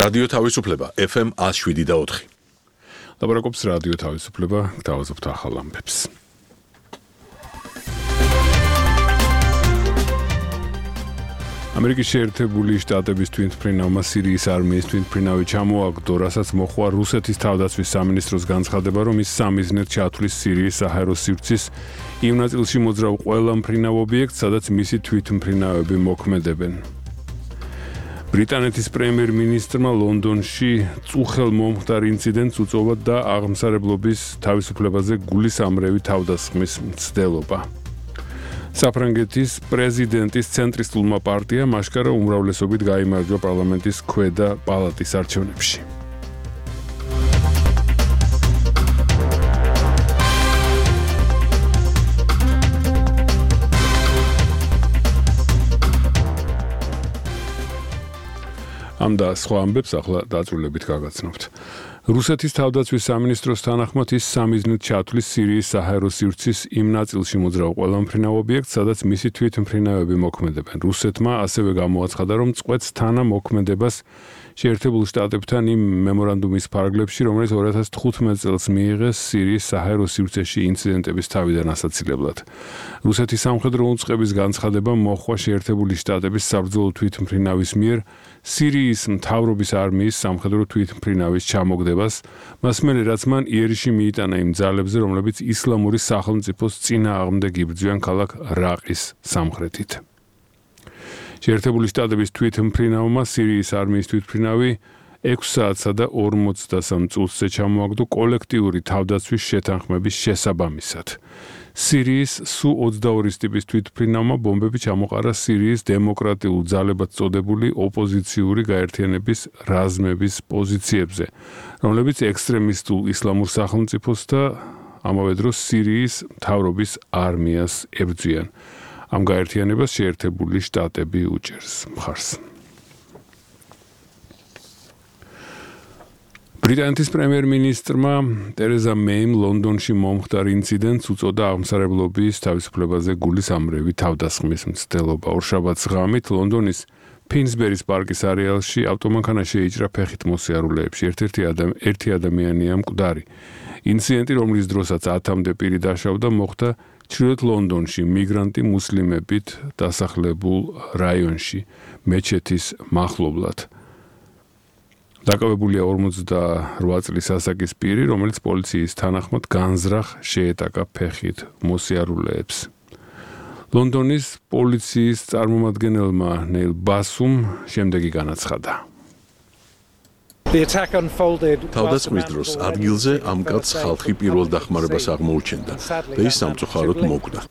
რადიო თავისუფლება FM 107.4. ლაპარაკობს რადიო თავისუფლება, გთავაზობთ ახალ ამბებს. ამერიკის შეერთებული შტატების თვითმფრინავმა სირიის არმიის თვითმფრინავი ჩამოაგდო, რასაც მოხდა რუსეთის თავდაცვის სამინისტროს განცხადება, რომ ის სამიზნედ ჩათვლის სირიის საჰაერო სივრცის იმ ნაწილში მოძრავ ყველა მფრინავ ობიექტს, სადაც მისი თვითმფრინავები მოქმედებენ. ბრიტანეთის პრემიერ-მინისტრმა ლონდონში წუხელ მომხდარ ინციდენტს უწოდა და აღმსარებლობის თავისუფლებაზე გულისამრევი თავდასხმის მცდელობა. საფრანგეთის პრეზიდენტის ცენტრისტულმა პარტიამ აშკარა უმრავლესობით გაიმარჯვა პარლამენტის ქვედა პალატის არჩევნებში. ამ და სხვა ამბებს ახლა დაწვრილებით გაგაცნობთ. რუსეთის თავდაცვის სამინისტროს თანახმად ის სამიზნედ ჩათვლის სირიის საჰაერო სივრცის იმ ნაწილში მოძრავ ყველა მფრინავ ობიექტს, სადაც მისი თვითმფრინავები მოქმედებენ. რუსეთმა ასევე გამოაცხადა, რომ წყვეტს თანამოქმედებას შეერთებულ შტატებთან იმ მემორანდუმის ფარგლებში, რომელიც 2015 წელს მიიღეს სირიის საჰაერო სივრცეში ინციდენტების თავიდან ასაცილებლად. რუსეთის სამხედრო უწყების განცხადება მოჰყვა შეერთებული შტატების საბრძოლო თვითმფრინავის მიერ სირიის მთავრობის არმიის სამხედრო თვითმფრინავის ჩამოგდებას, მას მერე რაც მან იერიში მიიტანა იმ ძალებზე, რომლებიც ისლამური სახელმწიფოს წინააღმდეგ იბრძვიან ქალაქ რაყის სამხრეთით. შეერთებული შტატების თვითმფრინავმა სირიის არმიის თვითმფრინავი 6 საათსა და 43 წუთზე ჩამოაგდო კოლექტიური თავდაცვის შეთანხმების შესაბამისად. სირიის სუ-22 ტიპის თვითმფრინავმა ბომბები ჩამოყარა სირიის დემოკრატიულ ძალებად წოდებული ოპოზიციური გაერთიანების რაზმების პოზიციებზე, რომლებიც ექსტრემისტულ ისლამურ სახელმწიფოს და ამავე დროს სირიის მთავრობის არმიას ებრძვიან. ამ გაერთიანებას შეერთებული შტატები უჭერს მხარს. ბრიტანეთის პრემიერ-მინისტრმა ტერეზა მეიმ ლონდონში მომხდარ ინციდენტს უწოდა აღმსარებლობის თავისუფლებაზე გულისამრევი თავდასხმის მცდელობა. ორშაბათს ღამით ლონდონის ფინსბერის პარკის არეალში ავტომანქანა შეიჭრა ფეხით მოსიარულეებში. ერთი ადამიანია მკვდარი. ინციდენტი, რომლის დროსაც 10-მდე პირი დაშავდა, მოხდა ჩრდილოეთ ლონდონში მიგრანტი მუსლიმებით დასახლებულ რაიონში მეჩეთის მახლობლად. დაკავებულია 48 წლის ასაკის პირი, რომელიც პოლიციის თანახმად განზრახ შეეტაკა ფეხით მოსიარულეებს. ლონდონის პოლიციის წარმომადგენელმა ნეილ ბასუმ შემდეგი განაცხადა. თავდასხმის დროს ადგილზე ამ კაცს ხალხი პირველ დახმარებას აღმოუჩენდა და ის სამწუხაროდ მოკვდა.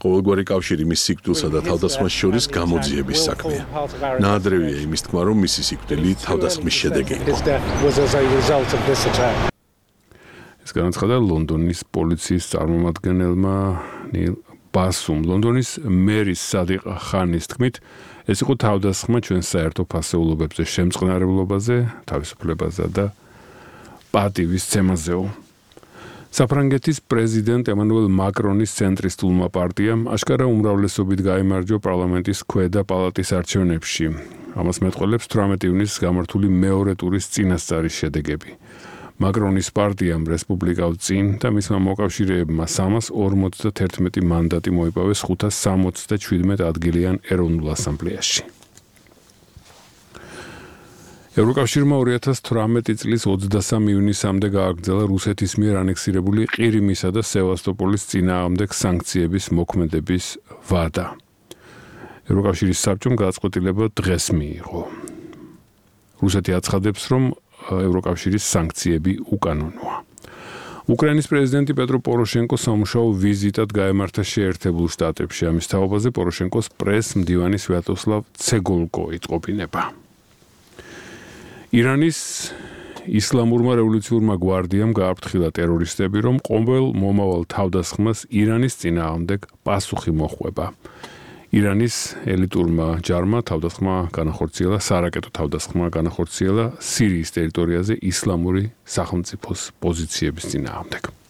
ყოველგვარი კავშირი მის სიკვდილსა და თავდასხმას შორის გამოძიების საქმეა. ნაადრევია იმის თქმა, რომ მისი სიკვდილი თავდასხმის შედეგი იყო. ეს განაცხადა ლონდონის პოლიციის წარმომადგენელმა ნეილ ბასუმ. ლონდონის მერის სადიყ ხანის თქმით, ეს იყო თავდასხმა ჩვენს საერთო ფასეულობებზე, შემწყნარებლობაზე, თავისუფლებაზე და პატივის ცემაზეო. საფრანგეთის პრეზიდენტ ემანუელ მაკრონის ცენტრისტულმა პარტიამ აშკარა უმრავლესობით გაიმარჯვა პარლამენტის ქვედა პალატის არჩევნებში. ამას მეტყველებს 18 ივნისს გამართული მეორე ტურის წინასწარის შედეგები. მაკრონის პარტიამ რესპუბლიკავ წინ და მისმა მოკავშირეებმა 341 მანდატი მოიპოვეს 577 ადგილიან ეროვნულ ასამბლეაში. ევროკავშირმა 2018 წლის 23 ივნისამდე გააგრძელა რუსეთის მიერ ანექსირებული ყირიმისა და სევასტოპოლის წინააღმდეგ სანქციების მოქმედების ვადა. ევროკავშირის საბჭომ გადაწყვეტილება დღეს მიიღო. რუსეთი აცხადებს, რომ ევროკავშირის სანქციები უკანონოა. უკრაინის პრეზიდენტი პეტრო პოროშენკო სამუშაო ვიზიტად გაემართა შეერთებულ შტატებში. ამის თაობაზე პოროშენკოს პრეს-მდივანი სვიატოსლავ ცეგოლკო იწყობინება. ირანის ისლამურმა რევოლუციურმა გვარდიამ გააფრთხილა ტერორისტები, რომ ყოველ მომავალ თავდასხმას ირანის წინააღმდეგ პასუხი მოჰყვება. ირანის ელიტურმა ჯარმა თავდასხმა განახორციელა, სარაკეტო თავდასხმა განახორციელა სირიის ტერიტორიაზე ისლამური სახელმწიფოს პოზიციების წინააღმდეგ.